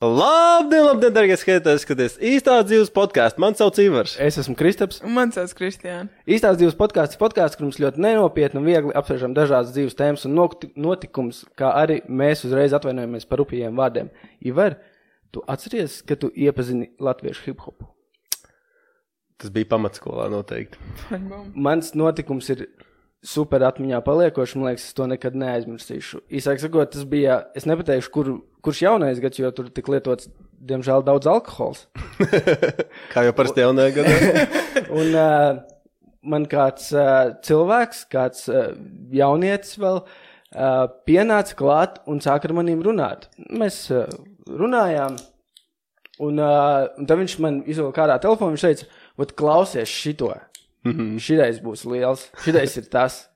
Labdien, darbie skatītāji, skaties īstās dzīves podkāstu. Man sauc Ivars. Es esmu Kristaps. Un man sauc Kristiāna. Īstās dzīves podkāsts, kur mums ļoti nenopietni un viegli apspriežam dažādas dzīves tēmas un notikums, kā arī mēs uzreiz atvainojamies par rupjiem vārdiem. Ivar, tu atceries, ka tu iepazini latviešu hip-hopu? Tas bija pamatskolā noteikti. Mans notikums ir super atmiņā paliekoši, man liekas, es to nekad neaizmirsīšu. Īsāk sakot, tas bija, es nepateikšu, kurš jaunais gads, jo tur tik lietots, diemžēl, daudz alkohols. Kā jau parasti jaunajā gadā. Un man kāds cilvēks, kāds jaunietis vēl, pienāca klāt un sāka ar manīm runāt. Mēs runājām, un tad viņš man izvēl kādā telefonu, viņš teica, vat klausies šito. Šitais būs liels, šitais ir tas.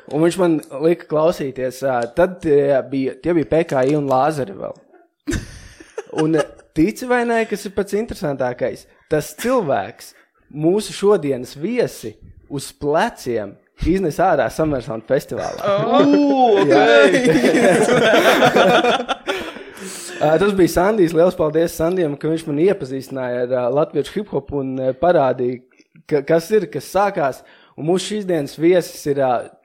Un viņš man lika klausīties, tad tie bija PKI un lāzeri vēl. Un tici vai nē, kas ir pats interesantākais, tas cilvēks, mūsu šodienas viesi uz pleciem iznes ārā Summersound festivālā. Tas bija Sandijs, liels paldies Sandijam, ka viņš man iepazīstināja ar latviešu hip-hopu un parādīja, kas sākās, un mūsu šīs dienas viesis ir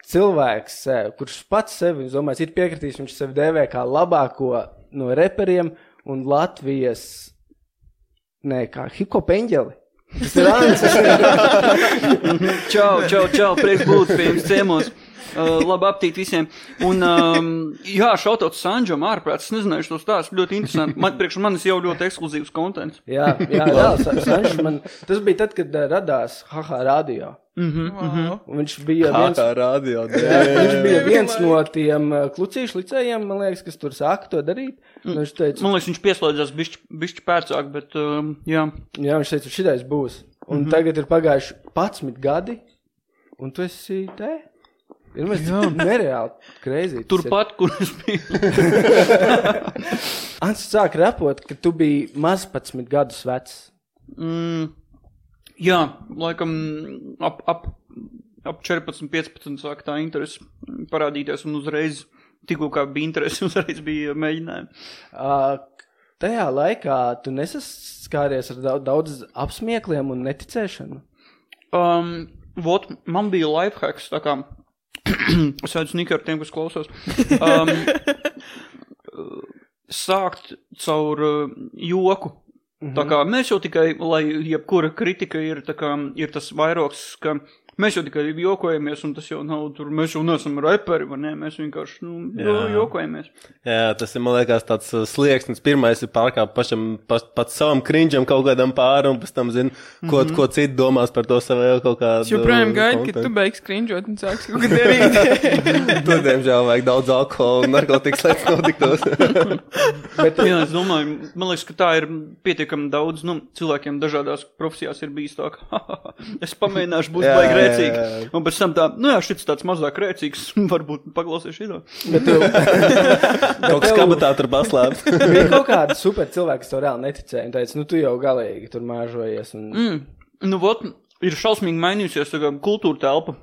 cilvēks, kurš pats sevi, es domāju, ir piekritījis, viņš sevi dēvē kā labāko no reperiem un Latvijas, kā hip-hop eņģeli. Tas ir Ants. Čau, prieks būt pie jums ciemos. Labi aptīt visiem. Un, šautauts Sanžam ārprāts, es nezināšu tos tās, ļoti interesanti. Priekš manis jau ļoti ekskluzīvs kontents. Jā, Sanžs man, tas bija tad, kad radās HH Radio. Un viņš bija viņš bija viens no tiem klucīšu licējiem, man liekas, kas tur sāka to darīt. Viņš teica, man liekas, viņš pieslēdzās bišķi pērcāk, bet jā. Jā, viņš teica, šitais būs. Un tagad ir pagājuši 11 gadi, un tu esi te? Ir mēs nereāli crazy. Turpat, kur es biju. Ants sāk repot, ka tu biji maz 11 gadus vecs. Jā, laikam ap 14-15 sāk tā interesi parādīties un uzreiz, tikko kā bija interesi, uzreiz bija mēģinājumi. Tajā laikā tu nesaskāries ar daudz apsmiekliem un neticēšanu? Man bija lifehacks, tā kā es veidu sniku ar tiem, kas klausās. Sākt caur joku. Tā kā mēs jau tikai, lai jebkura kritika ir, tā kā, ir tas vairoks, ka mēs jau tikai jokojamies, un tas jau nav tur, mēs jau neesam reperi, vai ne? Mēs vienkārši, jokojamies. Jā, tas ir, man liekas, tāds slieksnis. Pirmais ir pārkāpt pats savam krinģam kaut kādam pāri, un pēc tam zini, ko citi domās par to savu kaut kādu. Es joprojām gaidu, ka tu beigs krinģot un sāks kaut kā darīt. Tu, diemžēl, vajag daudz alkohola un narkotikas lietas notiktos. Bet, jā, es domāju, man liekas, ka tā ir pietiekami daudz, cilvēkiem dažādās profesijās ir bijis tā, ka es pamēģināšu būt baigi rēcīgi. Un pēc tam tā, šits tāds mazāk rēcīgs, varbūt paklausies šito. Kaut kas kabatā tur paslēp. Bija kaut kāda super cilvēka, kas to reāli neticēja, un teica, tu jau galīgi tur māžojies. Un... Ir šausmīgi mainījusies kultūra telpa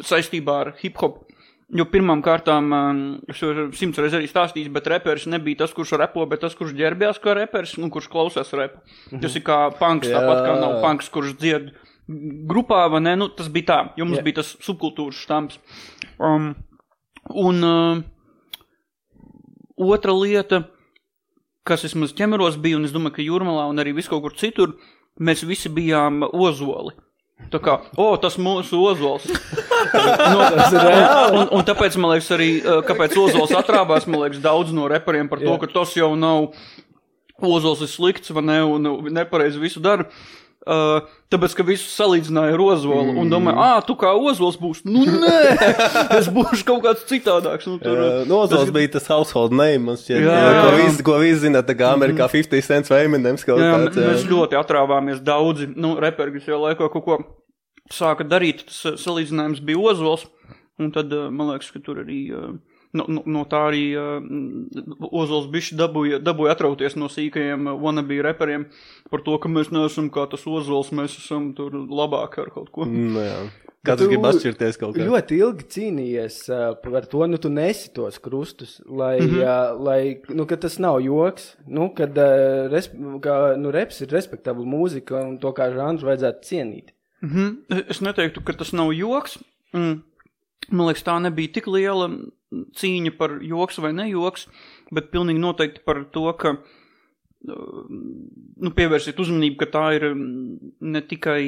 saistībā ar hip-hop. Jo pirmām kārtām, es jau 100 reiz arī stāstījis, bet reperis nebija tas, kurš repo, bet tas, kurš ģērbjās kā reperis un kurš klausās repu. Tas ir kā punks, tāpat kā nav punks, kurš dzied grupā, vai ne? Tas bija tā, jo mums bija tas subkultūras štamps. Otra lieta, kas vismaz ķemeros bija, un es domāju, ka Jūrmalā un arī viskaut kur citur, mēs visi bijām ozoli. Tā kā, tas mūsu ozols. Un tāpēc, man liekas, arī, kāpēc ozols atrābās, man liekas, daudz no reperiem par to, ka tas jau nav ozols ir slikts, vai ne, un nepareizi visu dara. Tāpēc, ka visu salīdzināja ar ozolu un domāju, tu kā ozols būs. Nē, es būšu kaut kāds citādāks. Ozols bija tas household name, man šķiet, ko visi zina, tā kā Amerikā 50 cents vai Eminems kaut kāds. Mēs ļoti atrāvāmies daudzi, reperi, kas jau laikā kaut ko sāka darīt, tas salīdzinājums bija ozols, un tad, man liekas, ka tur arī no tā arī Ozols bišķi dabūja atrauties no sīkajiem wannabe reperiem par to, ka mēs neesam kā tas Ozols, mēs esam tur labāki ar kaut ko. Jā. Kāds grib atšķirties kaut kā? Ļoti ilgi cīnījies par to, tu nesi tos krustus, lai ka tas nav joks, kad reps ir respektabla mūzika un to kā žanru vajadzētu cienīt. Es neteiktu, ka tas nav joks. Man liekas, tā nebija tik liela cīņa par joks vai nejoks, bet pilnīgi noteikti par to, ka pievērsiet uzmanību, ka tā ir ne tikai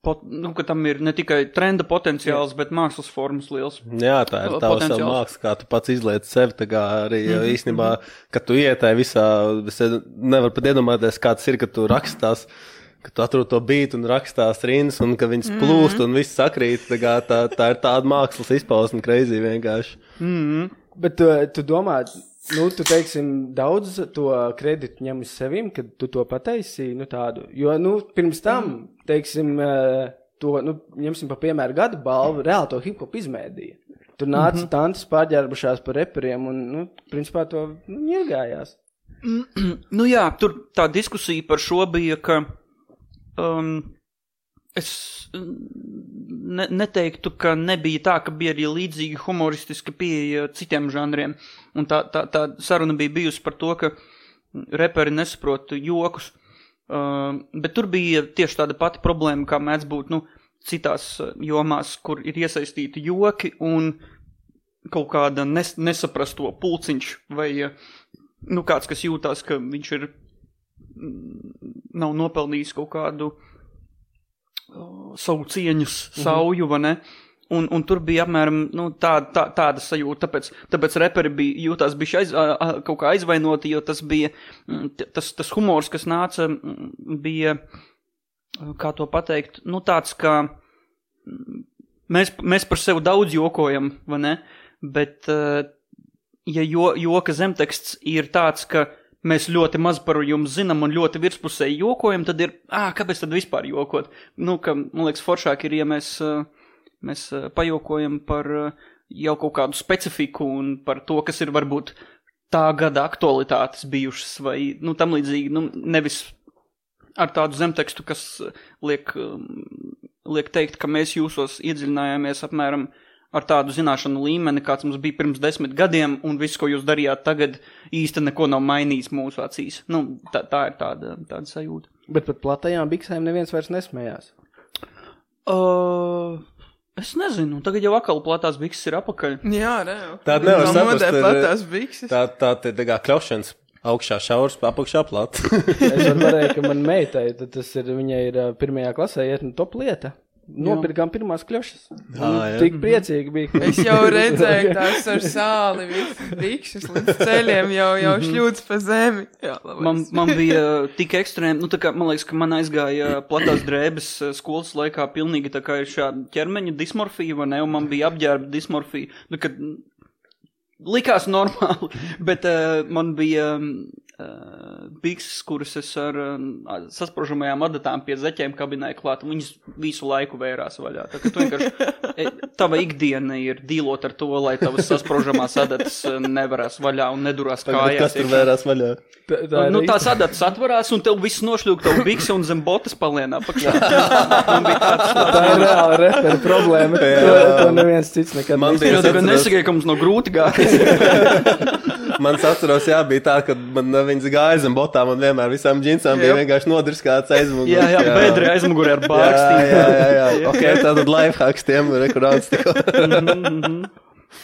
ka tam ir ne tikai trenda potenciāls, bet mākslas formas liels. Jā, tā ir tava savu māksla, kā tu pats izliec sevi, tā kā arī īstenībā, kad tu ietai visā, es nevaru pat iedomāties, kā tas ir, kad tu rakstās, ka tu atrod to bītu un rakstās rindas, un ka viņas plūst un viss sakrīt, tā ir tāda mākslas izpausme, crazy vienkārši. Bet tu domā, tu teiksim, daudz to kreditu ņem uz sevim, kad tu to pataisīji, tādu, jo, pirms tam, teiksim, ņemsim pa piemēru gada balvu, reāli to hip-hop izmēdīja. Tur nāca tantes pārģērbušās par reperiem un, principā to iegājās. Jā, tur tā diskusija par šo bija, ka es neteiktu, ka nebija tā, ka bija arī līdzīgi humoristiska pieeja citiem žanriem. Un tā saruna bija bijusi par to, ka reperi nesaprot jokus. Bet tur bija tieši tāda pati problēma, kā mēdz būt citās jomās, kur ir iesaistīti joki un kaut kāda nesaprasto pulciņš vai kāds, kas jūtās, ka viņš nav nopelnījis kaut kādu savu cieņas sauju, vai ne? Un tur bija apmēram tāda sajūta, tāpēc reperi jūtās kaut kā aizvainoti, jo tas bija, tas humors, kas nāca, bija, kā to pateikt, tāds, ka mēs par sevi daudz jokojam, vai ne? Bet, ja joka zemteksts ir tāds, ka mēs ļoti maz par jums zinām un ļoti virspusēji jokojam, tad ir, kāpēc tad vispār jokot? Ka, man liekas, foršāk ir, ja mēs pajokojam par jau kaut kādu specifiku un par to, kas ir varbūt tā gada aktualitātes bijušas vai tam līdzīgi, nevis ar tādu zemtekstu, kas liek teikt, ka mēs jūsos iedziļinājāmies apmēram ar tādu zināšanu līmeni, kāds mums bija pirms 10 gadiem, un viss, ko jūs darījāt tagad, īsti neko nav mainījis mūsu acīs. Tā ir tāda sajūta. Bet pat platajām biksēm neviens vairs nesmējās? Es nezinu, tagad jau atkal platās bikses ir apakaļ. Jā, reāli. Tāda nevar saprast, platās bikses. Tā kā kļaušanas augšā šaurs, apakšā plat. Es varēju, ka man meitai, tad viņai ir 1. klasē iet top lieta. Nopirkām pirmās kļošas. Tik priecīgi bija. Es jau redzēju tās ar sāli, visas bikšas līdz ceļiem jau šļūdz pa zemi. Jā, man bija tik ekstrēmi, man liekas, ka man aizgāja platās drēbes skolas laikā pilnīgi tā kā ir šāda ķermeņa dismorfija, vai ne, un man bija apģērba dismorfija. Kad likās normāli, bet man bija bikses, kuras es ar sasprožamajām adatām pie zeķiem kabinēju klāt, un viņas visu laiku vērās vaļā. Tā, ka tu vienkārši, tava ikdiena ir dīlot ar to, lai tavas sasprožamās adatas nevarās vaļā un nedurās kājās. Kas tur vērās vaļā? Tās adatas atvarās, un tev viss nošļūk tavu bikse un zem botas palienā pakšā. Man bija tāds. Tā ir reāla repera problēma. To neviens cits nekad nesagāja, ka mums no grūti gājas. Man atceros, bija tā, ka man viņas gāja zem botām un vienmēr visām džinsām bija vienkārši nodriskāts aizmuguri. Jā, bedri aizmuguri ar bārkstīm. Jā. Ok, tātad lifehacks tiem rekurāts tikko.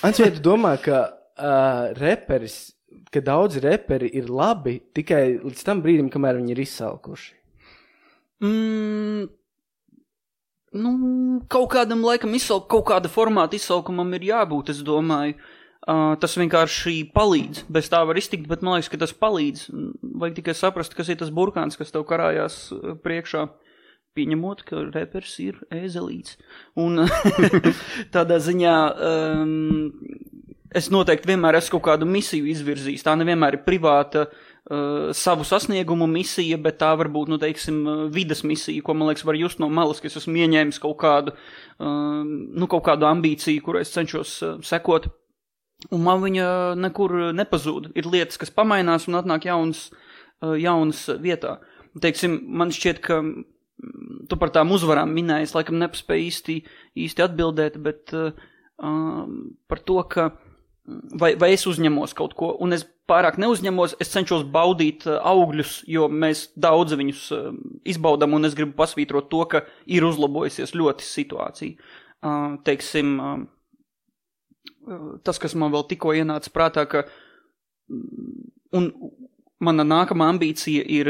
Ants, vai tu domā, ka ka daudzi reperi ir labi tikai līdz tam brīdim, kamēr viņi ir izsalkuši? Kaut kādam laikam kaut kāda formāta izsalkumam ir jābūt, es domāju. Tas vienkārši palīdz. Bez tā var iztikt, bet man liekas, ka tas palīdz. Vajag tikai saprast, kas ir tas burkāns, kas tev karājās priekšā, pieņemot, ka repers ir ēzelīts. Un tādā ziņā es noteikti vienmēr esmu kaut kādu misiju izvirzījis. Tā nevienmēr ir privāta savu sasniegumu misija, bet tā varbūt, nu, teiksim, vides misija, ko, man liekas, var just no malas, ka es esmu ieņēmis kaut kādu ambīciju, kur es cenšos sekot. Un man viņa nekur nepazūd. Ir lietas, kas pamainās un atnāk jaunas vietā. Teiksim, man šķiet, ka tu par tām uzvarām minējies, laikam nepaspēju īsti atbildēt, bet par to, ka vai es uzņemos kaut ko, un es pārāk neuzņemos, es cenšos baudīt augļus, jo mēs daudz viņus izbaudam, un es gribu pasvītrot to, ka ir uzlabojusies ļoti situācija. Teiksim, tas, kas man vēl tikko ienāca prātā, ka un mana nākamā ambīcija ir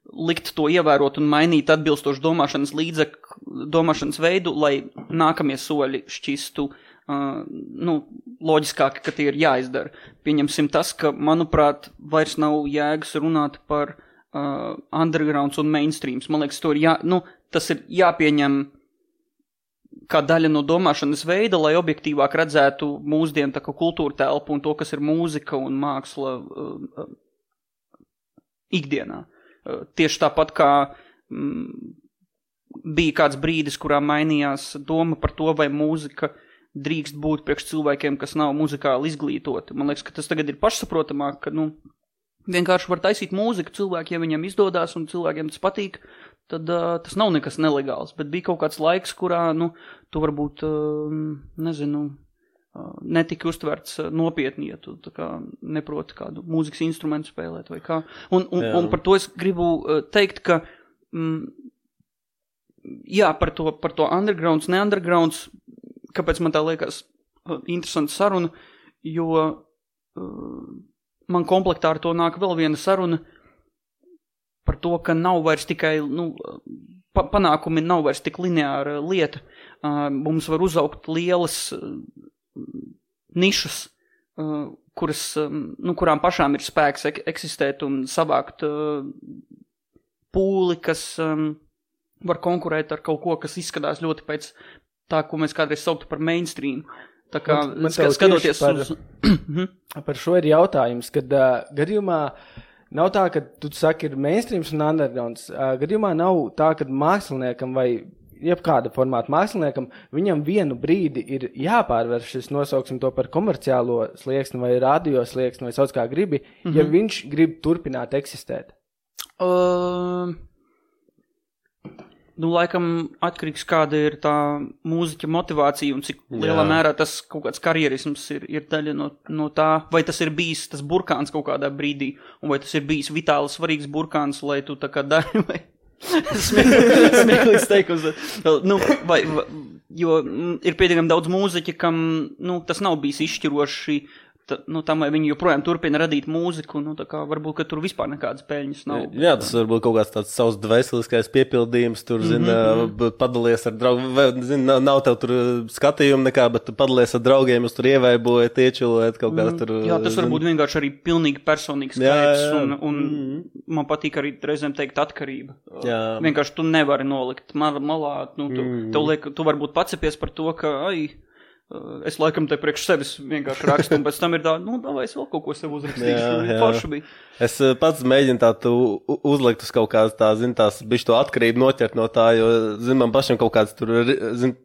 likt to ievērot un mainīt atbilstoši domāšanas veidu, lai nākamie soļi šķistu loģiskāki, ka tie ir jāizdara. Pieņemsim tas, ka, manuprāt, vairs nav jēgas runāt par undergrounds un mainstreams. Man liekas, tas ir jāpieņem kā daļa no domāšanas veida, lai objektīvāk redzētu mūsdienu tā kā kultūra telpu un to, kas ir mūzika un māksla ikdienā. Tieši tāpat kā bija kāds brīdis, kurā mainījās doma par to, vai mūzika drīkst būt priekš cilvēkiem, kas nav muzikāli izglītoti. Man liekas, ka tas tagad ir pašsaprotamāk, ka, vienkārši var taisīt mūziku cilvēki, ja viņam izdodās un cilvēkiem tas patīk, tad tas nav nekas nelegāls. Bet bija kaut kāds laiks, kurā, tu varbūt, netika uztverts nopietni, ja tu tā kā neproti kādu mūzikas instrumentu spēlēt vai kā. Un par to es gribu teikt, ka, par to undergrounds, ne undergrounds, kāpēc man tā liekas interesanta saruna, jo man komplektā ar to nāk vēl viena saruna par to, ka nav vairs tikai, panākumi nav vairs tik lineāra lieta. Mums var uzaugt lielas nišas, kurām pašām ir spēks eksistēt un savākt pūli, kas var konkurēt ar kaut ko, kas izskatās ļoti pēc tā, ko mēs kādreiz sauktu par mainstream. Tā kā, skatoties par šo ir jautājums, kad gadījumā nav tā, ka tu saki ir mainstreams un undergrounds. Gadījumā nav tā, ka māksliniekam vai jebkāda formāta māksliniekam, viņam vienu brīdi ir jāpārvērš šis, nosauksim to par komerciālo slieksni vai radio slieksni vai sauc kā gribi, ja viņš grib turpināt eksistēt. Laikam atkarīgs, kāda ir tā mūziķa motivācija un cik lielā mērā tas kaut kāds karjerisms ir daļa no tā, vai tas ir bijis tas burkāns kaut kādā brīdī, un vai tas ir bijis vitāli svarīgs burkāns, lai tu tā kā dari, vai smieklīgs teikums. Jo ir pietiekami daudz mūziķi, kam, tas nav bijis izšķiroši, tam, vai viņi joprojām turpina radīt mūziku, tā kā varbūt, ka tur vispār nekādas peļņas nav. Jā, tas varbūt kaut kāds tāds savs dvēseliskais piepildījums, tur, padalies ar draugu, vai, nav tev tur skatījumi nekā, bet tu padalies ar draugiem, jūs tur ievaibojat, iečilojat kaut kāds tur. Jā, tas varbūt vienkārši arī pilnīgi personīgs skaips, un man patīk arī reizēm teikt atkarība. Jā. Vienkārši tu nevari nolikt malā, tu varbūt pacepies par to, ka, es laikam te priekš sevis vienkārši rakstu, un pēc tam ir tā, vai es vēl kaut ko sev uzrakstīšu, forši bija. Es pats mēģinu tā uzlikt uz kaut kādas tās bišķi to atkarību noķert no tā, jo, man pašam kaut kāds tur,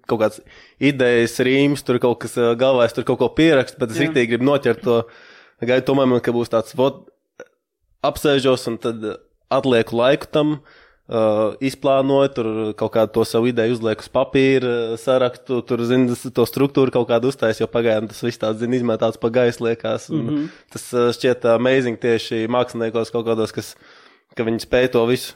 kaut kāds idejas, rīms, tur kaut kas galvās, tur kaut ko pierakst, bet es riktīgi gribu noķert to, gaidu tomēr man, ka būs tāds, apsēžos un tad atlieku laiku tam, izplānoju, tur kaut kādu to savu ideju uzlieku uz papīra, sarakstu, tur, to struktūru kaut kādu uztais, jo pagaidām tas viss tāds, izmētāts pa gaisu liekas. Tas šķiet amazing tieši māksliniekos kaut kādos, ka viņi spēj to visu,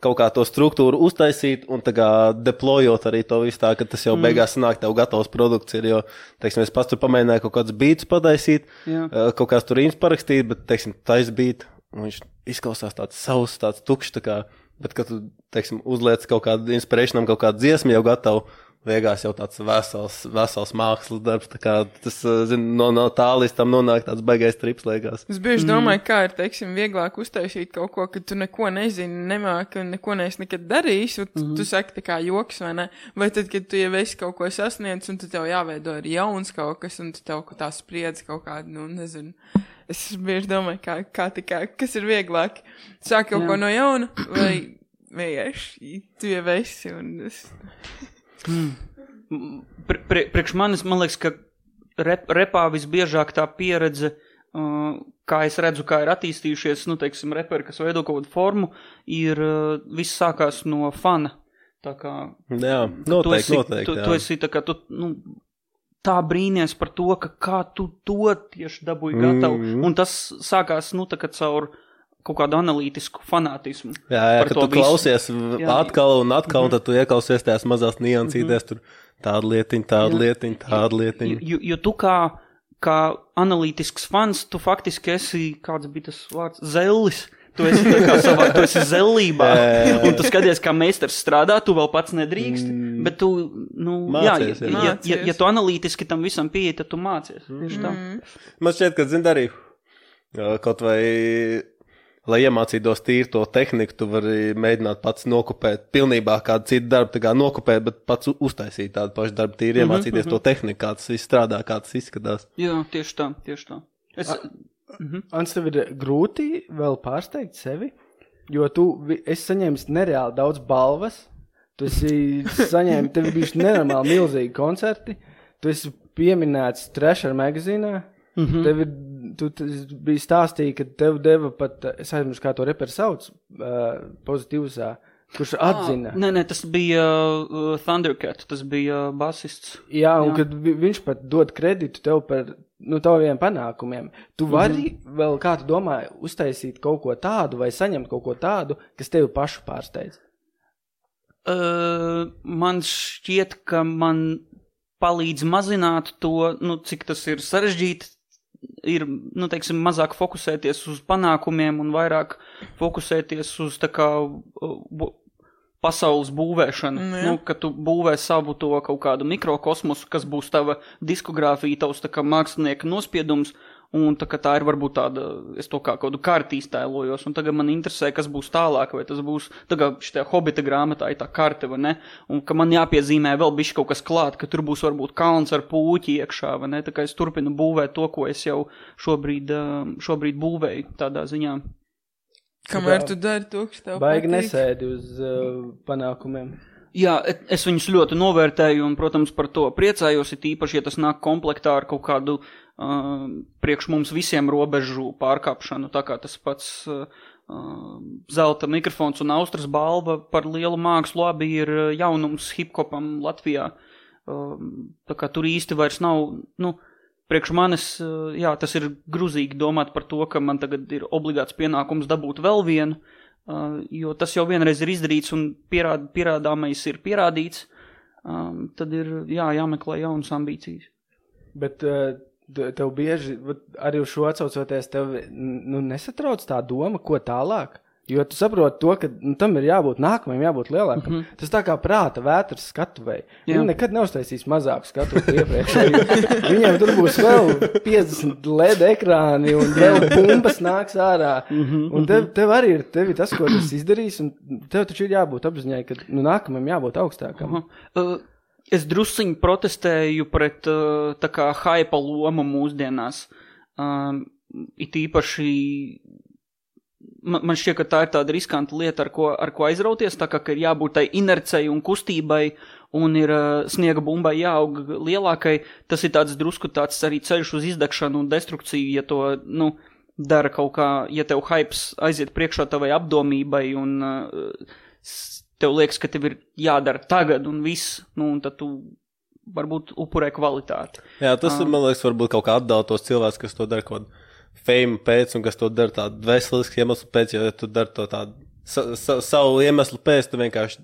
kaut kā to struktūru uztaisīt un tā kā deployot arī to visu tā, ka tas jau beigās sanāk tev gatavs produkts ir, jo, teiksim, es pats tur pamēģināju kaut kādus beats pataisīt, kaut kāds tur rīms parakstīt, bet, teiksim, tais beat, viņš izklausās tāds savs, tāds tukšs, tā kā, bet, kad tu, teiksim, uzliec kaut kādu inspirationam, kaut kādu dziesmu jau gatavu, Veigās jau tāds vesels mākslas darbs, tā kā tas, no tā līdz tam nonāk tāds baigais trips, liekas. Es bieži domāju, kā ir, teiksim, vieglāk uztaisīt kaut ko, ka tu neko nezini, nemāki un neko neesi nekad darījis, un tu saki tā kā joks, vai ne? Vai tad, kad tu jau esi kaut ko sasniedz, un tu tev jāveido arī jauns kaut kas, un tu tev tā spriedz kaut kādu, nu, nezinu. Es bieži domāju, kā kas ir vieglāk. Sāk kaut ko no jauna, vai vienkārši tu jau esi, un es... Priekš manis, man liekas, ka repā visbiežāk tā pieredze, kā es redzu, kā ir attīstījušies, nu, teiksim, reperi, kas veido kaut kādu formu, ir viss sākās no fana. Tā kā... Jā, noteikti. Tu esi tā kā, tā brīnies par to, ka kā tu to tieši dabūji gatavu, un tas sākās, nu, tā kā caur kaut kādu analītisku fanātismu. Jā, ka tu klausies atkal, un tad tu ieklausies tās mazās niansītēs, tur tāda lietiņa. Jo tu kā analītisks fans, tu faktiski esi, kāds bija tas vārds, zellis. Tu esi tā kā savā, tu esi zellībā, un tu skaties, kā meistars strādā, tu vēl pats nedrīkst, bet tu, nu, mācies, ja tu analītiski tam visam pieeji, tad tu mācies. Tieši tā. Man šķiet, ka, arī kaut vai... Lai iemācītos tīri to tehniku, tu vari mēģināt pats nokopēt pilnībā kādu citu darbu, tā kā nokopēt, bet pats uztaisīt tādu pašu darbu, tīri iemācīties to tehniku, kā tas viss strādā, kā tas izskatās. Jā, tieši tā. Ants, tev ir grūti vēl pārsteigt sevi, jo esi saņēmis nereāli daudz balvas, tu esi saņēmis, tev bijuši nenormāli milzīgi koncerti, tu esi pieminēts Thrasher magazīnā, tu biji stāstīja, ka tev deva pat, es aizmirsu, kā to reperi sauc, Pozitīvsā, kurš atzina. Nē, tas bija Thundercat, tas bija basists. Jā, un kad viņš pat dod kreditu tev par, taviem panākumiem. Tu vari vēl, kā tu domā, uztaisīt kaut ko tādu vai saņemt kaut ko tādu, kas tevi pašu pārsteidz? Man šķiet, ka man palīdz mazināt to, cik tas ir sarežģīti, ir, teiksim, mazāk fokusēties uz panākumiem un vairāk fokusēties uz tā kā pasaules būvēšanu, ka tu būvē savu to kaut kādu mikrokosmosu, kas būs tava diskogrāfija, tavs tā kā mākslinieka nospiedums, un tā ir varbūt tāda, es to kā kādu karti iztēlojos, un tagad man interesē, kas būs tālāk, vai tas būs, tagad šitā Hobita grāmatā ir tā karte, vai ne, un ka man jāpiezīmē vēl bišķi kaut kas klāt, ka tur būs varbūt kalns ar pūķi iekšā, vai ne, tā kā es turpinu būvēt to, ko es jau šobrīd būvēju tādā ziņā. Kamēr tu dari to, kas tev patīk. Baigi nesēdi uz panākumiem. Jā, es viņus ļoti novērtēju un, protams, par to priecājos, ir īpaši, ja tas nāk komplektā ar kaut kādu priekš mums visiem robežu pārkāpšanu, tā kā tas pats zelta mikrofons un Austras balva par lielu mākslu abi ir jaunums hip-hopam Latvijā. Tā kā tur īsti vairs nav, priekš manis, jā, tas ir gruzīgi domāt par to, ka man tagad ir obligāts pienākums dabūt vēl vienu, jo tas jau vienreiz ir izdarīts un pierādāmais ir pierādīts, tad ir jāmeklē jaunas ambīcijas. Bet tev bieži, arī uz šo atsaucoties, tev nesatrauc tā doma, ko tālāk? Jo tu saproti to, ka tam ir jābūt nākamajam, jābūt lielākam. Tas tā kā prāta vētras skatuvei. Viņi nekad neuztaisīs mazāku skatuvi iepriekš. Viņiem tur būs vēl 50 LED ekrāni un vēl bumbas nāks ārā. Un tev arī ir tas, ko tas izdarīs, un tev taču ir jābūt apziņai, ka nākamajam jābūt augstākam. Es drusciņi protestēju pret tā kā haipa loma mūsdienās. It īpaši man šķiet, ka tā ir tāda riskanta lieta, ar ko aizrauties, tā kā ir jābūt tai inercei un kustībai, un ir sniega bumbai jāaug lielākai. Tas ir tāds drusku tāds arī ceļš uz izdegšanu un destrukciju, ja to, dara kaut kā, ja tev hypes aiziet priekšā tavai apdomībai, un tev liekas, ka tev ir jādara tagad un viss, un tad tu varbūt upurē kvalitāti. Jā, tas, man liekas, varbūt kaut kā atdala tos cilvēkus, kas to dara kaut kādu fame pēc, un kas to dara tādu veselisku iemeslu pēc, jo tu dari to tādu savu iemeslu pēc, tu vienkārši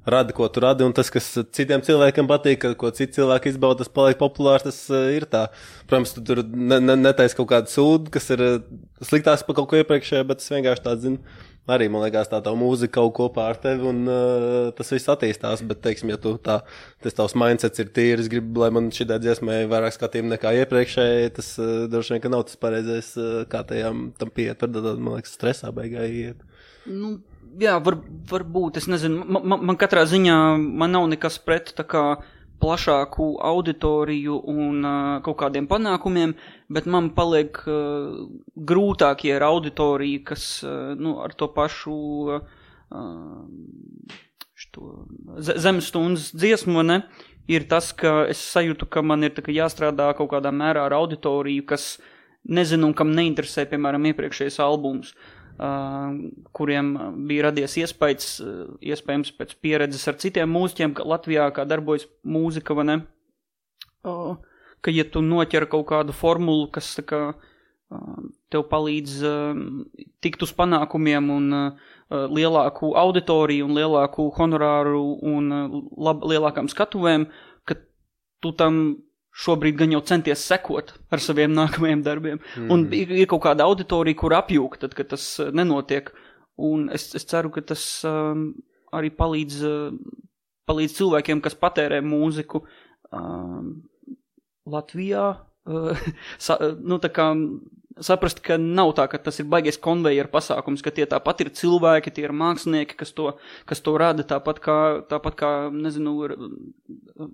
radi, ko tu radi, un tas, kas citiem cilvēkiem patīk, ko citi cilvēki izbauda, tas paliek populārs, tas ir tā. Protams, tu tur netaisi kaut kādu sūdu, kas ir sliktāks par kaut ko iepriekšēju, bet tas vienkārši tāds, arī, man liekas, tā mūzika kaut kopā ar tevi un tas viss attīstās, bet, teiksim, ja tu tas tavs mindsets ir tīrs, gribu, lai man šitā dziesmai vairāk skatījumu nekā iepriekšēji, tas droši vien, ka nav tas pareizais, kā tam pieiet, tad, man liekas, stresā beigā iet. Nu, jā, varbūt, es nezinu, man katrā ziņā, man nav nekas pret tā kā plašāku auditoriju un kaut kādiem panākumiem, bet man paliek grūtākie ar auditoriju, kas ar to pašu zemes stundas dziesmu, ne, ir tas, ka es sajūtu, ka man ir tā, ka jāstrādā kaut kādā mērā ar auditoriju, kas nezinu un kam neinteresē, piemēram, iepriekšējais albums. Kuriem bija radies iespējams pēc pieredzes ar citiem mūziķiem, ka Latvijā kā darbojas mūzika, vai ne? Ka ja tu noķer kaut kādu formulu, kas tā kā tev palīdz tikt uz panākumiem un lielāku auditoriju un lielāku honorāru un lielākām skatuvēm, ka tu tam šobrīd gan jau centies sekot ar saviem nākamajiem darbiem. Un ir kaut kāda auditorija, kur apjūk, tad, kad tas nenotiek. Un es ceru, ka tas arī palīdz cilvēkiem, kas patērē mūziku Latvijā. Tā kā saprast, ka nav tā, ka tas ir baigies konvejeru pasākums, ka tie tāpat ir cilvēki, tie ir mākslinieki, kas to rada, tāpat kā, nezinu,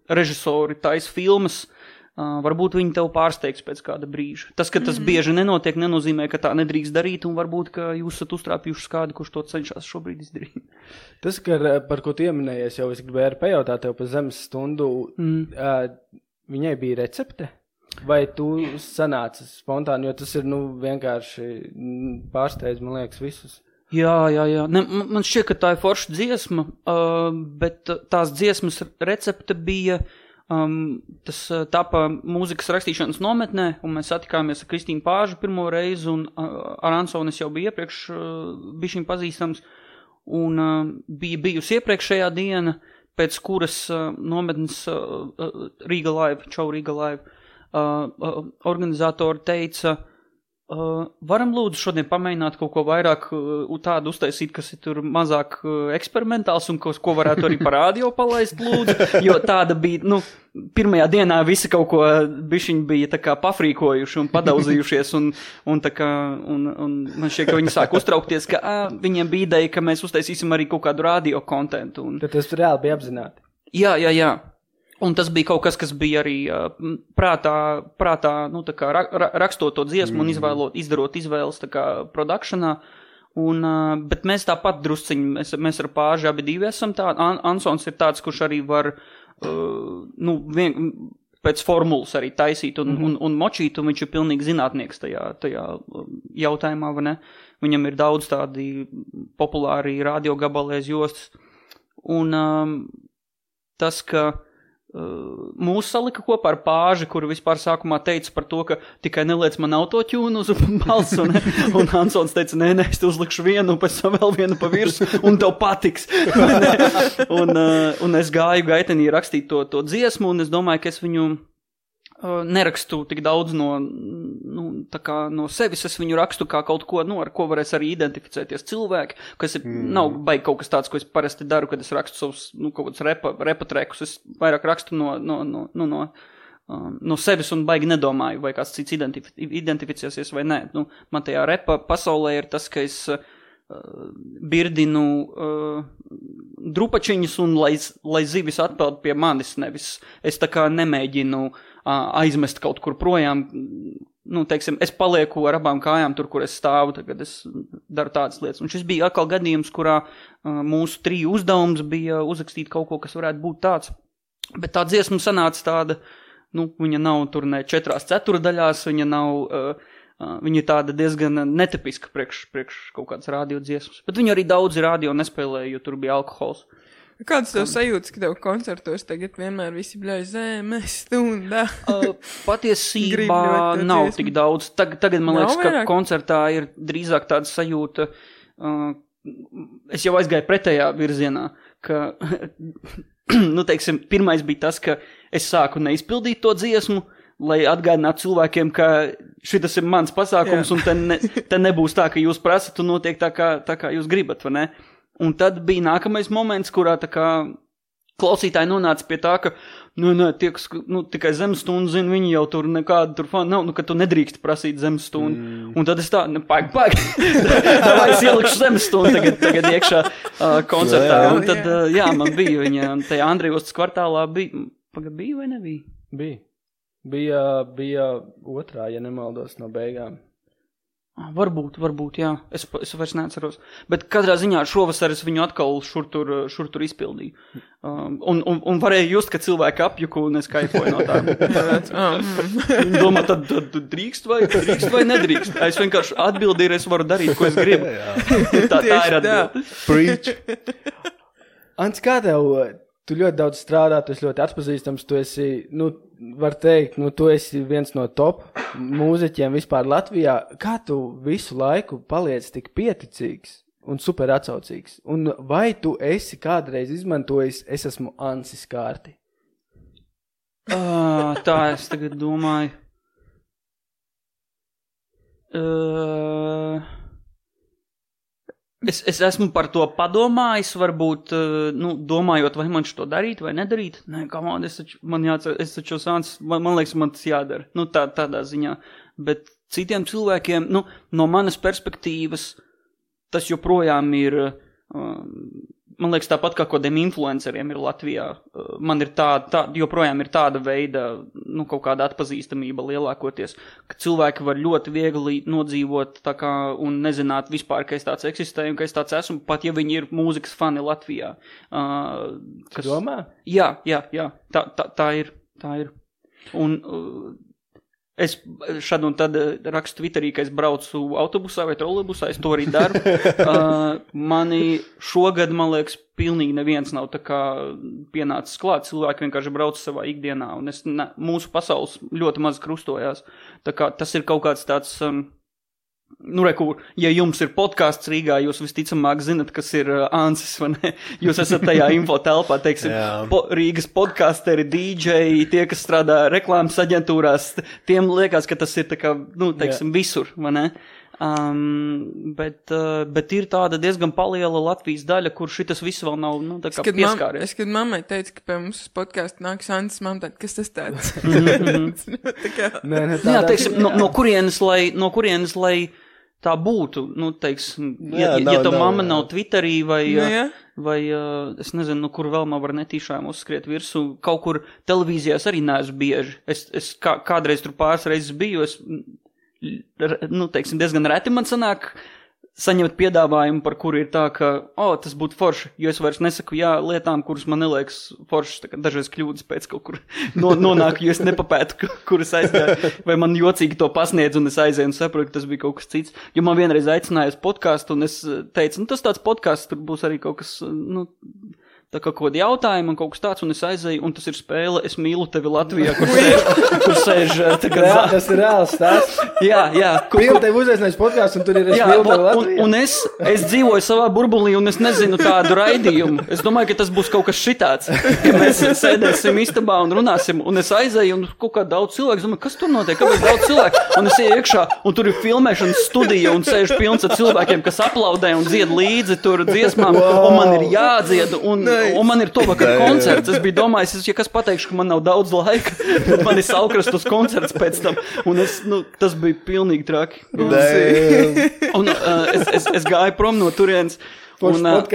režisori taisa filmas, varbūt viņi tev pārsteigs pēc kāda brīža. Tas, ka tas bieži nenotiek, nenozīmē, ka tā nedrīkst darīt, un varbūt, ka jūs esat uztrāpījuši kādu, kurš to cenšas šobrīd izdarīt. Tas, par ko tu ieminējies, jau es gribēju arī pajautāt tev par zemes stundu, viņai bija recepte? Vai tu sanāci spontāni, jo tas ir, vienkārši pārsteidz, man liekas, visus? Jā. Ne, man šķiet, ka tā ir forša dziesma, bet tās dziesmas recepte bija, tas tapa mūzikas rakstīšanas nometnē, un mēs satikāmies ar Kristīnu Pāžu pirmo reizi, un ar Ansonis jau bija iepriekš bišķiņ pazīstams, un bija bijusi iepriekšējā diena, pēc kuras nometnes Riga Live, organizatori teica, varam lūdzu šodien pamēģināt kaut ko vairāk tādu uztaisīt, kas ir tur mazāk eksperimentāls un ko varētu arī par radio palaist lūdzu, jo tāda bija, pirmajā dienā visi kaut ko bišķiņi bija tā kā pafrīkojuši un padauzījušies un man šķiet, ka viņi sāk uztraukties, ka viņiem bija ideja, ka mēs uztaisīsim arī kaut kādu radio kontentu. Tad tas reāli bija apzināti? Jā. Un tas bija kaut kas bija arī prātā tā kā rakstot to dziesmu un izdarot izvēles tā kā produkšanā. Bet mēs tāpat drusciņi, mēs ar Pāži abi divi esam tādi. Ansons ir tāds, kurš arī var, pēc formulas arī taisīt un močīt, un viņš ir pilnīgi zinātnieks tajā jautājumā, vai ne? Viņam ir daudz tādi populāri radio gabalēs jostas. Un tas, ka mūs salika kopā ar Pāži, kuru vispār sākumā teica par to, ka tikai neliec man autotune uz balsu, un Ansons teica, nē, es te uzlikšu vienu, pēc tam vēl vienu pa virsu, un tev patiks. Un es gāju gaitenī rakstīt to dziesmu, un es domāju, ka es viņu nerakstu tik daudz no sevis, es viņu rakstu kā kaut ko, ar ko varēs arī identificēties cilvēki, kas nav baigi kaut kas tāds, ko es parasti daru, kad es rakstu savus, kaut kādus repa trekus, es vairāk rakstu no sevis un baigi nedomāju, vai kāds cits identificēsies vai nē. Man tajā repa pasaulē ir tas, ka es birdinu drupačiņus un lai zivis atpeld pie manis, nevis es tā kā nemēģinu aizmest kaut kur projām, teiksim, es palieku ar abām kājām tur, kur es stāvu, tagad es daru tādas lietas. Un šis bija atkal gadījums, kurā mūsu triju uzdevums bija uzrakstīt kaut ko, kas varētu būt tāds. Bet tā dziesma sanāca tāda, viņa nav tur ne 4/4, viņa ir tāda diezgan netipiska priekš kaut kādas radio dziesmas. Bet viņu arī daudzi radio nespēlēja, jo tur bija alkohols. Kāds tev sajūtas, ka tev koncertos tagad vienmēr visi bļauj zemes stundā? Patiesībā nav tik daudz. Tagad man liekas, ka koncertā ir drīzāk tāda sajūta, es jau aizgāju pretējā virzienā, ka, teiksim, pirmais bija tas, ka es sāku neizpildīt to dziesmu, lai atgādinātu cilvēkiem, ka šitas ir mans pasākums, un te nebūs tā, ka jūs prasat, un notiek tā kā jūs gribat, vai ne? Un tad bija nākamais moments, kurā tā kā klausītāji nonāca pie tā, ka, tie, kas, tikai zemestundu zina, viņi jau tur nekādu tur fanu nav, ka tu nedrīkst prasīt zemestundu. Un tad es tā, paik, davai es ielikšu zemestundu tagad iekšā koncertā. Un tad, man bija viņa, tajā Andrijostas kvartālā bija vai nebija? Bija otrā, ja nemaldos, no beigām. Varbūt, jā. Es vairs neatceros. Bet katrā ziņā šovasar es viņu atkal šur tur izpildīju. Un varēja just, ka cilvēki apjuku un es kaifoju no tā. Domā, tad drīkst vai nedrīkst? Es vienkārši atbildīju, es varu darīt, ko es gribu. Tā ir atbildi. Preach. Ants, kā tev? Tu ļoti daudz strādā, tu esi ļoti atpazīstams, tu esi, var teikt, tu esi viens no top mūziķiem vispār Latvijā. Kā tu visu laiku paliec tik pieticīgs un super atsaucīgs? Un vai tu esi kādreiz izmantojis, es esmu Ansis kārti? Tā es tagad domāju. Es esmu par to padomājis, varbūt, domājot, vai man šo darīt vai nedarīt. Nē, man taču sāns, man liekas, man tas jādara. Tādā ziņā. Bet citiem cilvēkiem, no manas perspektīvas, tas joprojām ir, man liekas, tāpat kā kodiem influenceriem ir Latvijā. Man ir joprojām ir tāda veida, kaut kāda atpazīstamība lielākoties, ka cilvēki var ļoti viegli nodzīvot tā kā un nezināt vispār, ka es tāds eksistēju un ka es tāds esmu, pat ja viņi ir mūzikas fani Latvijā. Domā? Jā, tā ir. Un es šad un tad rakstu Twitterī, ka es braucu autobusā vai trolejbusā, es to arī daru. Mani šogad, man liekas, pilnīgi neviens nav tā kā pienācis klāt. Cilvēki vienkārši brauc savā ikdienā, un mūsu pasaules ļoti maz krustojās. Tā kā tas ir kaut kāds tāds... ja jums ir podcasts Rīgā, jūs visticamāk zinat, kas ir Ansis, vai ne? Jūs esat tajā info telpā, teiksim, Rīgas podcasteri, DJ, tie, kas strādā reklāmas aģentūrās, tiem liekas, ka tas ir tā kā, teiksim, visur, vai ne? Bet ir tāda diezgan paliela Latvijas daļa, kur šitas viss vēl nav, tā kā pieskāries. Es, kad mammai teica, ka pie mums podcastu nāks Ansis, mamma tāda, kas tas tāds? Jā, teiksim, no kurienes, lai tā būtu, teiksim, ja tu mamma nav Twitterī vai es nezinu, kur vēl man var netīšām uzskriet virsu, kaut kur televīzijās arī neesmu bieži. Es kādreiz tur pāris reizes biju, teiksim, diezgan reti man sanāk saņemt piedāvājumu, par kuru ir tā, ka, tas būtu forši, jo es vairs nesaku jā lietām, kuras man neliekas foršas, tā kā dažreiz kļūdas pēc kaut kur nonāku, jo es nepapētu, kuras aizgāju, vai man jocīgi to pasniedz, un es aizēju un saprotu, ka tas bija kaut kas cits. Jo man vienreiz aicināja uz podcastu, un es teicu, tas tāds podcasts, tur būs arī kaut kas, tā kā kaut kādi jautājumi un kaut kas tāds, un es aizēju, un tas ir spēle Es mīlu tevi Latvijā, kur sēž tas ir reāls stāsts. Jā. Kur tev uzaicinājis podcasts, un tur ir Es mīlu tevi Latvijā. Un es dzīvoju savā burbulī, un es nezinu tādu raidījumu. Es domāju, ka tas būs kaut kas šitāds, ka mēs sēdēsim istabā un runāsim, un es aizēju, un kaut kā daudz cilvēku, domāju, kas tur notiek, kāpēc daudz cilvēku, un es ieju iekšā, un tur ir filmēšanas studija, un sēž pilns ar cilvēkiem, kas aplaudē un dzied līdzi tur dziesmām, un man ir jādzied, un man ir to vakar koncerts. Es biju domājis, ja kas pateikšu, ka man nav daudz laika, tad man ir saukrast uz koncerts pēc tam. Un tas bija pilnīgi traki. Un es gāju prom no turienes. Un man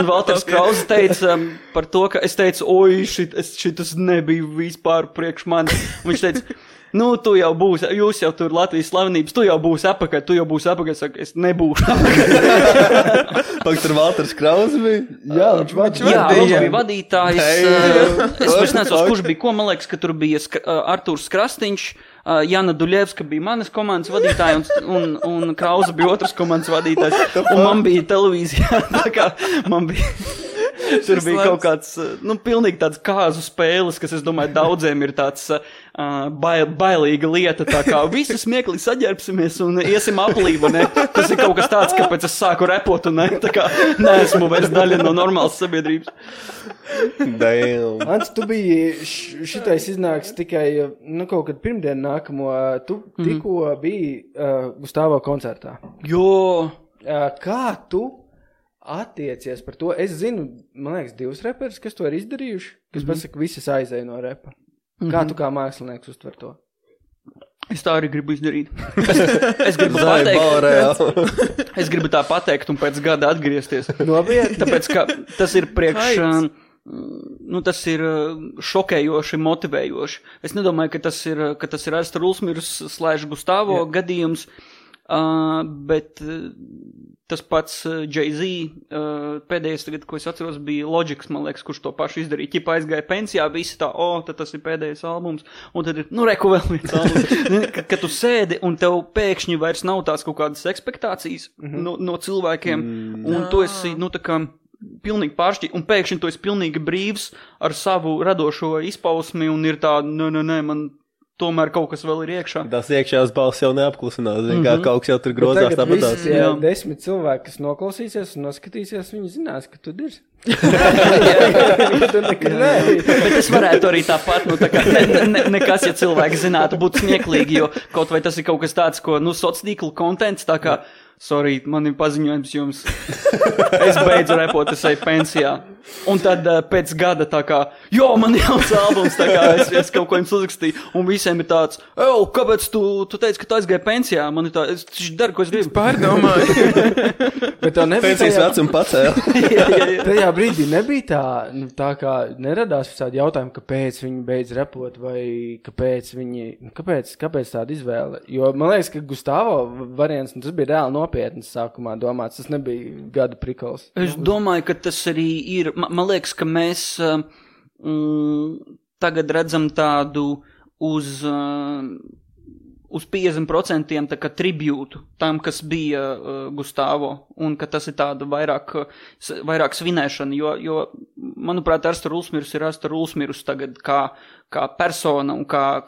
Valters Krause teica par to, ka es teicu, šitas nebija vispār priekš manis. Un viņš teica, tu jau būsi, jūs jau tur Latvijas slavenības, tu jau būsi apakaļ, saka, es nebūšu apakaļ. Pak tur Valters Krause bija? Jā, viņš bija vadītājs. Es vairs nezinu, kurš bija, ko man liekas, ka tur bija Artūrs Krastiņš, Jana Duļevska bija manas komandas vadītāja, un Krause bija otras komandas vadītājs, un man bija televīzijā, tā kā man bija... Tur bija kaut kāds, pilnīgi tāds kāzu spēles, kas, es domāju, daudziem ir tāds bailīga lieta, tā kā visi smieklīgi saģērbsimies un iesim aplība, ne? Tas ir kaut kas tāds, kāpēc es sāku repot un tā kā neesmu vairs daļa no normālas sabiedrības. Ants, tu biji šitais iznāks tikai, kaut kad pirmdien nākamo, tu tikko biji Gustavo koncertā. Jo! Kā tu attiecies par to? Es zinu, man liekas, 2 reperus, kas to ir izdarījuši, kas pasaka, visas aizēja no repa. Kā tu kā mākslinieks uztver to? Es tā arī gribu izdarīt. Es gribu pateikt. Es gribu tā pateikt un pēc gada atgriezties. Nopietni. Tāpēc, ka tas ir tas ir šokējoši, motivējoši. Es nedomāju, ka tas ir Arsta Rulsmīrs / Gustavo gadījums, bet tas pats Jay-Z pēdējais tagad, ko es atceros, bija Logics, man liekas, kurš to pašu izdarīja. Ķipa aizgāja pensijā, visi tā, tad tas ir pēdējais albums, un tad ir, reku vēl viens albums. Kad tu sēdi un tev pēkšņi vairs nav tās kaut kādas ekspektācijas no cilvēkiem, un tu esi, tā kā pilnīgi pāršķi, un pēkšņi tu esi pilnīgi brīvs ar savu radošo izpausmi, un ir tā, man tomēr kaut kas vēl ir iekšā. Tas iekšējās balss jau neapklusinās, kā kaut kas jau tur grozās tāpatās. Visi 10 cilvēki, kas noklausīsies un noskatīsies, viņi zinās, ka tu dirzi. Bet es varētu arī tāpat, nekas, ja cilvēki zinātu, būtu smieklīgi, jo kaut vai tas ir kaut kas tāds, ko, sociāla kontents, tā kā, sorry, man ir paziņojums jums, es beidzu repot, es eju pensijā. Un tad pēc gada tā kā, man jauns albums, tā kā es kaut ko jums uzrakstīju, un visiem ir tāds, kāpēc tu teici, ka tu aizgāji pensijā? Man ir tā, es daru, ko es gribu. Pārdomāju. Bet tā nebija pensijas vecumu pacēla. Tajā brīdī nebija tā kā neradās tādi jautājumi, kāpēc viņi beidz repot, vai kāpēc tāda izvēle? Jo man liekas, ka Gustavo variants, tas bija reāli nopietnas sākumā domāts, tas nebija gada prikals. Es domāju, ka tas arī ir. Man liekas, ka mēs tagad redzam tādu uz 50% tā kā tribūtu tam, kas bija Gustavo, un ka tas ir tāda vairāk svinēšana, jo manuprāt, Arsta Rulsmīrs ir Arsta Rulsmīrs tagad kā persona un kā